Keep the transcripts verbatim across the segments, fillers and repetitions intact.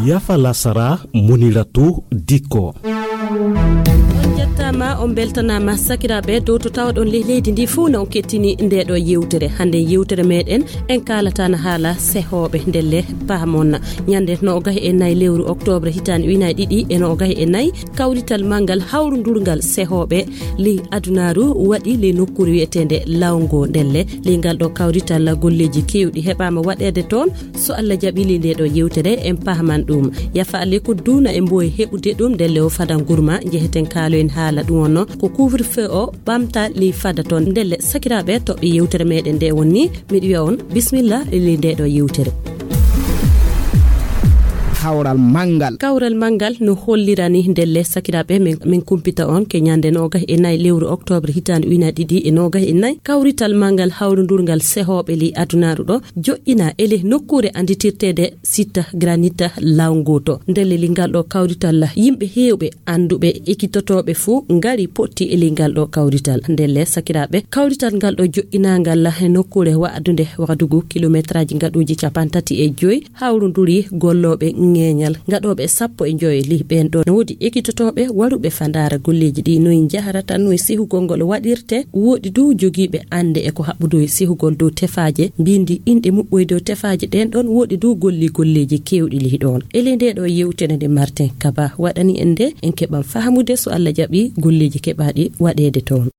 Yafa lasara, Muniratu Dikko. On njettaama, on mbeltanaama, sakiraaɓe, dow to tawɗon ley leydi ndi fuu, na on kettini ndeeɗo yewtere. Hannde yewtere meeɗen, en kaalata na haala sehooɓe. Ndelle paamon, ñande noogay e nayi lewru oktoobre hitaande ujunaaji ɗiɗi e noogay e nayi, kawrital manngal hawrundurngal sehooɓe ley adunaaru waɗi ley nokkuure wiyeteende Lawngo. Ndelle ley ngal ɗo kawrital, golleeji keewɗi heɓaama waɗeede toon. So Allah jaɓi, ley nde ɗo yewtere en paaman ɗum. Yafa alle ko duuna e mboye heɓude ɗum, ndelle o fada ngurma, njeheten kaaloyen haala ɗum. Onno ko couvre-feu o ɓamta ley fada toon. Ndelle sakiraaɓe, toɓɓe yewtere meeɗen nde wonni, miɗo wiya on bismillah ley nde ɗo yewtere. Kawral manngal. Kawral manngal no hollirani ndelle sakiraaɓe, min, min kumpita on ke ñande noogay e nayi lewru oktoobre hitaande ujunaaji ɗiɗi e noogay e nayi. Kawrital manngal hawrundurngal sehooɓe ley adunaaru ɗo joƴƴina e ley nokkuure annditirteede site granit Lawngo to. Ndelle ley ngal ɗo kawrital, yimɓe heewɓe annduɓe ekitotooɓe fuu ngari potti e ley ngal ɗo kawrital. Ndelle sakiraaɓe, kawrital ngal ɗo joƴƴinaangal e nokkuure waɗdunde Wagadugu, kilometraaji ngaɗuuji cappanɗe tati e joy, hawrunduri gollooɓe ŋeeñal ngaɗooɓe sappo e joy. Ley ɓeen ɗo no woodi ekitotooɓe waruɓe fa ndaara golleeji ɗi noy njahrata, noy sehugol ngol waɗirte. Wooɗi du jogiiɓe annde e ko haɓɓudo e sehugol dow tefaaje, mbinndi inɗe muɓɓoy dow tefaaje ɗeen ɗoon. Wooɗi du golli golleeji keewɗi ley ɗoon. E ley nde ɗo yewtere nde Martin Kaba waɗani en nde, en keɓan fahamude so Allah jaɓi golleeji keɓaaɗi waɗeede toon.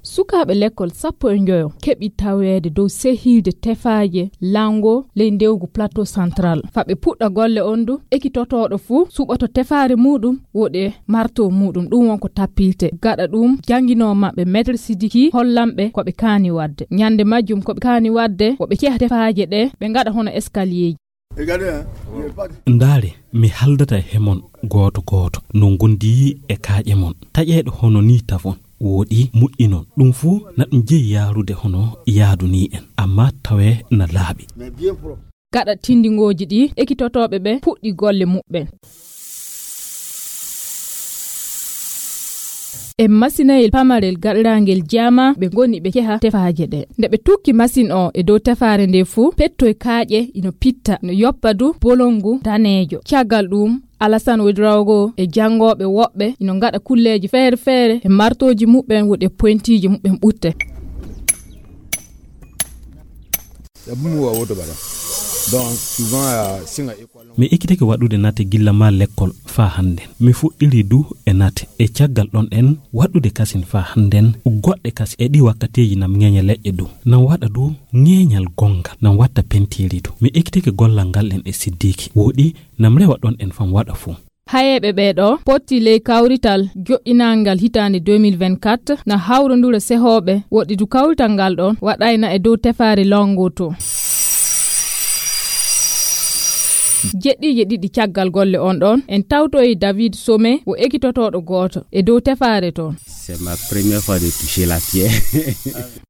Sukaaɓe lekkol sappo e njoyo keɓi taweede dow sehiide tefaaje Lawngo ley ndewgu Plateau Central. Fa ɓe puɗɗa golle on du, ekitotooɗo fuu suɓoto tefaare muuɗum, woɗe marto muuɗum, ɗum won ko tappilte. Gaɗa ɗum, jannginoo maɓɓe Maître Sidiki hollan ɓe ko ɓe kaani waɗde. Ñande majjum ko ɓe kaani waɗde, ko ɓe ceha tefaaje ɗe, ɓe ngaɗa hono escalierji. Ndaare, mi haldata he mon gooto gooto no ngondi e kaaƴe mon. Taƴeeɗo hono nii tafon, wooɗi muƴƴinon. Ɗum fuu na ɗum jeyi yaarude hono yaadu nii en, amma tawee na laaɓi. Gaɗa tindingooji ɗi, ekitotooɓe ɓe puɗɗi golle muɓɓen. E masinayel pamarel gaɗiraangel jaama, ɓe ngoni ɓe ceha tefaaje ɗe. Nde ɓe tukki masin o e dow tefaare nde fuu, pettoy kaaƴe ino pitta, no yoppa du bolongu daneejo. Caggal ɗum, Alasan Ouedraogo e janngooɓe woɓɓe ino ngaɗa kulleeji feere feere e martooji muɓɓen, woɗi e pointiiji muɓɓen ɓutte. Mi ekkitake waɗude nate gilla ma lekkol faa hannden. Mi fuɗɗiri du e nate. E caggal ɗon ɗen waɗude kasin faa hannden, goɗɗe kasin e ɗi wakkateeji nam ŋeeña leƴƴe du. Nam waɗa du ŋeeñal gonngal, nam watta pentiiri du. Mi ekkitake gollal ngal ɗen e Siddiiki. Wooɗi, nam rewa ɗon ɗen fam waɗa fuu. Hayeeɓe ɓee ɗoo potti ley kawrital joɗɗinaangal hitaande deux mille vingt-quatre na hawrondura sehooɓe woɗɗidu kawrital ngal ɗoon waɗayna e dow tefaare Lawngo to. Jeɗɗiije ɗiɗi caggal golle on ɗoon, en tawtoyi David Somé, wo ekitotooɗo gooto e dow tefaare toon. C'est ma première fois de toucher la pierre.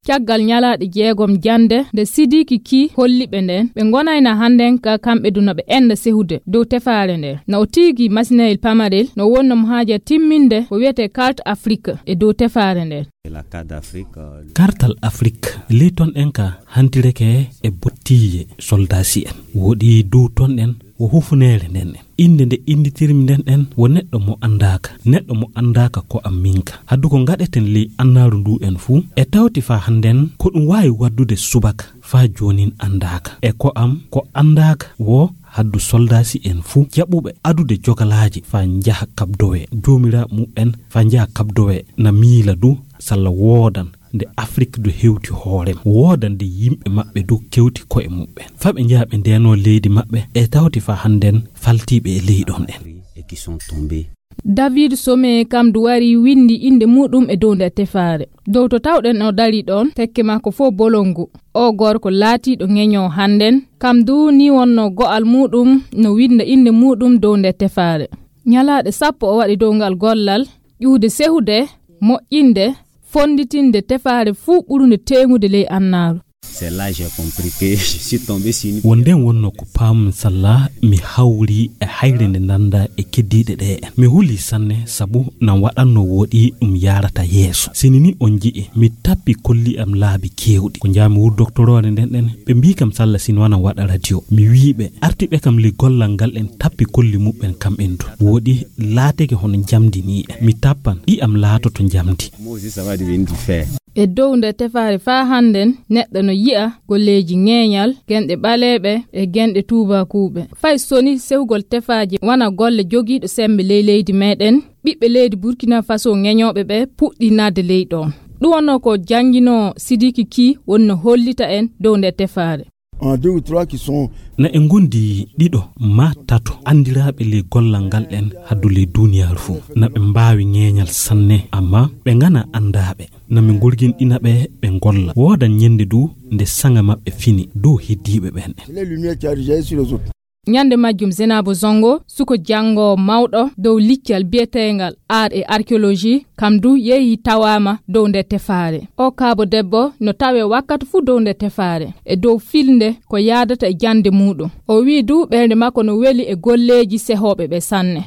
Caggal ñalaaɗe jeegom jannde nde Sidiki Ki holli ɓe ndeen, ɓe ngonayna hannden ka kamɓe du no ɓe ennda sehude dow tefaare ndee. No o tiigi masinayel pamarel no wonno mo haaja timminde ko wiyetee Carte Afrique e dow tefaare ndee. La Carte d'Afrique, euh, Kartal Afrik, ley ton ɗen ka hantireke e bottiije soldaasi en. Woɗi dow ton ɗen wo hufuneere nden ɗen. Innde nde innditirmi nden ɗen wo neɗɗo mo anndaaka, neɗɗo mo anndaaka ko am minka. Haddu ko ngaɗeten ley annaaru ndu en fuu, e tawti faa hannden ko ɗum waawi waddude subaka faa joonin anndaaka. E ko am ko anndaaka wo haddu soldaasi en fuu jaɓuɓe adude jogalaaji faa njaha kabdowee. Joomiraaɓe muɓɓen faa njaha kabdowee na miila du salla woodan nde Afrik du hewti hoore mum, wooda nde yimɓe maɓɓe du kewti ko'e muɓɓen. Fa ɓe njaha ɓe ndeenoo leydi maɓɓe, e tawti fa hannden faltiiɓe e ley ɗon ɗen. Et qui sont tombés. David Somé kam du wari winndi innde muɗum e dow nde tefaare. Dow to tawɗen o dari ɗon, tekke makko fof bolongu. O gorko laatiiɗo ŋeñoo hannden, kam du ni wonno go'al muɗum no winnda innde muɗum dow nde tefaare. Ñalaaɗe sappo o waɗi dow ngal gollal, ƴuwde sehude, moƴƴinde, fonnditinde tefaare fuu ɓurunde teeŋude ley annaaru. C'est là j'ai compris que je suis tombé sur une... Wonde wonno ko paam salla mi hawri e hayre nde nanda e keddiiɗe ɗe. Mi huli sanne sabu nan waɗanno woɗi ɗum yarata yeeso. Sini ni on ji'i mi tappi kolli am laabi kewɗi. Ko njami wuro doktoroore nden ɗen ɓe mbi kam salla sini wana waɗa radio. Mi wi ɓe arti ɓe kam li gollal ngal en tappi kolli muɓɓen kam en du. Woɗi laateke hono njamdi ni en. Mi tappan ɗi am laatoto njamdi. Moi aussi, ça va devenir du fer. E dow nde tefaare faa hannden, neɗɗo no yi'a golleeji ŋeeñal, genɗe ɓaleeɓe e genɗe tuubakuuɓe. Fay soni sehugol tefaaje wana golle jogiiɗo semmbe ley leydi meeɗen, ɓiɓɓe leydi Burkina Faso ŋeñooɓe ɓe puɗɗii naatde ley ɗoon. Ɗum wonnoo ko jannginoo Sidiki Key woni no hollita en dow nde tefaare. En deux ou trois qui sont... Na e ngondi ɗiɗo ma tato anndiraaɓe ley gollal ngal en haddu ley duuniyaaru fof. Na ɓe mbaawi ŋeeñal sanne, amma ɓe ngana anndaaɓe. Na mi ngurginɗina ɓe, ɓe ngolla. Woodan ñennde du nde saŋa maɓɓe fini dow heddiiɓe ɓen. C'est les lumières qui arrivent sur les autres. Ñande majjum, Zenabo Zongo, suko janngoowo mawɗo dow liccal biyeteengal art et archéologie, kam du yehi tawaama dow nde tefaare. O kaabo debbo no tawee wakkati fuu dow nde tefaare, e dow filnde ko yaadata e jannde muuɗum. O wi'i du ɓernde makko no weli e golleeji sehooɓe ɓe sanne.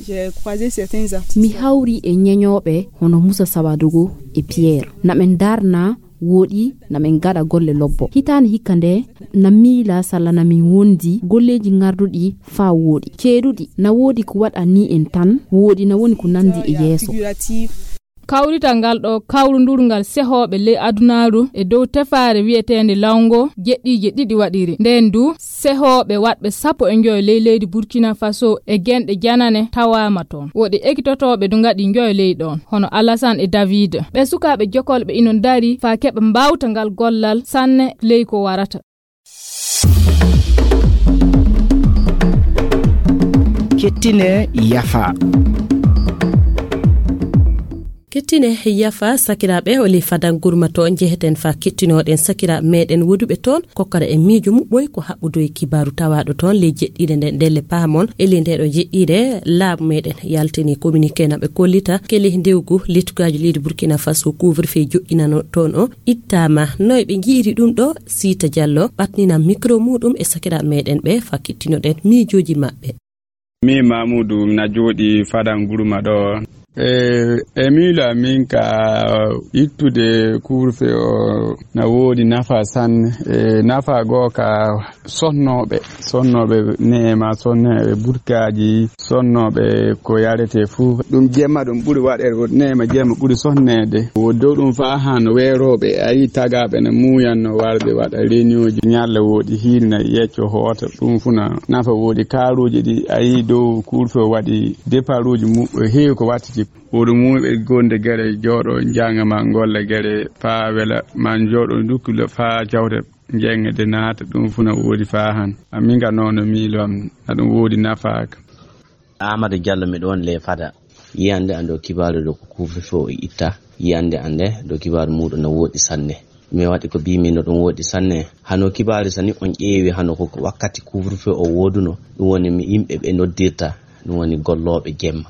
J'ai croisé certains artistes. Mi hawri e ñeñooɓe hono Musa Sawadogo e Pierre. Na ɓe ndarna woɗi, na ɓe ngaɗa golle lobbo. Hitaande hikka nde, na miila salla na min wondi golleeji ngarduɗi faa woɗi. Ceeɗuɗi, na woodi ko waɗa ni en tan, woɗi na woni ko nandi e yeeso. Kawrital ngal ɗo kawrundurngal sehooɓe ley adunaaru e dow tefaare wiyeteende Lawngo jeɗɗiije ɗiɗi waɗiri. Ndeen du, sehooɓe waɗɓe sappo e njoyo ley leydi Burkina Faso e genɗe janane tawaama toon. Woɗi ekitotooɓe du ngaɗi njoyo ley ɗoon, hono Alassane e David. Ɓe sukaaɓe jokolɓe ino ndari faa keɓa mbaawta ngal gollal sanne ley ko warata. Kettine yafa. Kettine yafa, sakiraaɓe, o ley Fadan Gurma to njeheten faa kettinoɗen sakiraaɓe meɗen woduɓe toon, kokkara e miijo muɓɓoy ko haɓɓudo e kibaaru tawaaɗo toon ley jeɗɗiire nden ndelle paamon. E ley nde ɗo jeɗɗiire laamu meɗen yaltini communiqué na ɓe kollita ke ley ndewgu lettugaaju leydi Burkina Faso couvre-feu joƴƴinano toon o ittaama. Noy ɓe njiiri ɗum ɗo? Siita Jallo ɓatnina micro muɗum e sakiraaɓe meɗen ɓe faa kettinoɗen miijooji maɓɓe. Mi Mamudu, mi na jooɗi Fadan Gurma ɗo. E, e miilo amin ka ittude couvre-feu o na woodi nafa sanne. E, nafa goo ka sonnooɓe, sonnooɓe neema, sonnooɓe burkaaji, sonnooɓe ko yarete fuu. Ɗum jemma ɗum ɓuri waɗeede, neema jemma ɓuri sonneede. Wo dow ɗum faa haa no weerooɓe, a yii tagaaɓe no muuyanno warde waɗa reunion ji. Ñalle woodi hiirna yecco hoota, ɗum fuu na nafa woodi. Kaaruuji ɗi a yii dow couvre-feu waɗi départuuji mu-, heewi ko wattiti. Woodi muuɓe gonde gere jooɗo njanga ma golle gere faa wela ma jooɗo dukkule faa jawte njenge de naata, ɗum fuu na woodi faa han. Amin ga noon no miilo am, na ɗum woodi nafa ka. Amadou Diallo, miɗo woni ley Fada. Yiyannde an ɗo kibaaru ɗo ko couvre-feu o itta. Yiyannde an nde ɗo kibaaru muuɗum no woodi sanne. Mi waɗi ko mbiimi no ɗum woodi sanne. Hano kibaaru sani on ƴeewi hano ko wakkati couvre-feu o wooduno. Ɗum woni mi yimɓe ɓe noddirta. Ɗum woni gollooɓe jemma.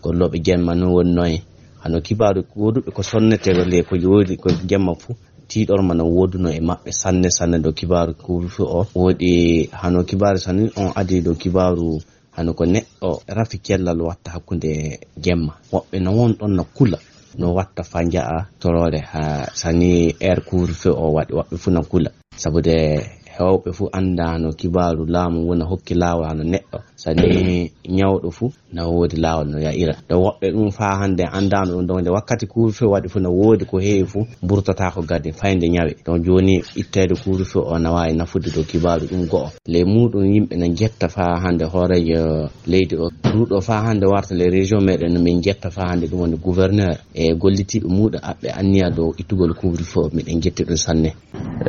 Gollooɓe jemma no woni noy? Hano kibaaru wooduɓe ko sonnete le ko woodi ko jemma fuu. Tiiɗorma no wooduno e maɓɓe sanne sanne ɗo kibaaru couvre-feu o. Woodi hano kibaaru sani on adi ɗo kibaaru hano ko neɗɗo rafi cellal watta hakkunde jemma. Woɓɓe no won ɗon no kula, no watta faa nja'a toroore haa sani heure couvre-feu o waɗi, woɓɓe fuu no kula. Sabude heewɓe fuu annda hano kibaaru laamu wona hokki laawol hano neɗɗo. Sani ñawɗo fuu na woodi laawol no ya'ira. Ɗo woɓɓe ɗum faa hannde anndaano ɗum, ɗon nde wakkati couvre-feu waɗi fuu na woodi ko heewi fuu mburtataako gadi fayde ñawe. Ɗon jooni itteede couvre-feu o na waawi nafude ɗo kibaaru ɗum go'o. Ley muuɗum yimɓe na njetta faa hannde hooreejo leydi o. Ɗuuɗo faa hannde warta ley région meɗen no min njetta faa hannde ɗum woni gouverneur e gollitiiɓe muuɗum aɓɓe anniya dow ittugol couvre-feu o. Miɗen njetti ɗum sanne.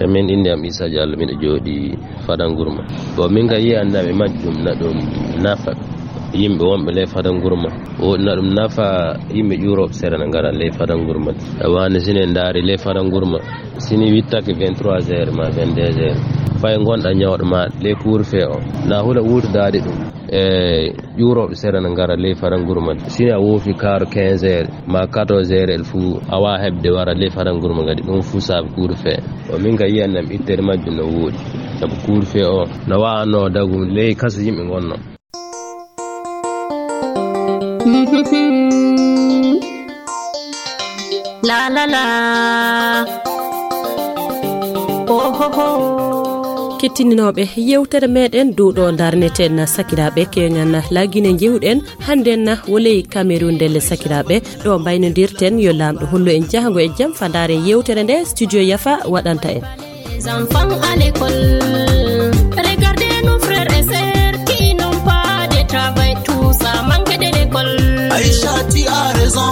E min, innde am Issa Diallo, miɗo jooɗi Fadangurma. Bon, min ka yiyannde am e majjum na ɗum nafa yimɓe wonɓe ley Fadangurma. Woodi na ɗum nafa yimɓe ƴuurooɓe sera na ngara ley Fadangurma. E waane sine ndaari ley Fadangurma. Sini wittake vingt-trois heures ma vingt-deux heures. Fay ngonɗa ñawɗo ma ley couvre-feu o. Na hula wuurdaade ɗum. E ƴuurooɓe sere na ngara ley faranguru ma. Sina woofi kaaro quinze heures ma quatorze heures, el fuu a waa heɓde wara ley faranguru ma ngadi. Ɗum fuu saabi kuuru fee. O min ka yiyan nam ittere majjum no wooɗi. Sabu kuuru fee o no waawno dagu ley kaso yimɓe ngonno. La la la. Oh, ho, ho. Kettininooɓe yewtere meɗen dow ɗo ndarneten sakiraaɓe keŋan laagine jewɗen hannden na woley Cameroun ndelle sakiraaɓe ɗo mbaynodirten yo laamɗo hollu en jahango e jam fadaare yewtere nde studio Yafa waɗanta en. Les enfants à l'école. Regardez nos frères et sœurs qui n'ont pas de travail, tout ça manque de l'école. Aïcha, tu as raison.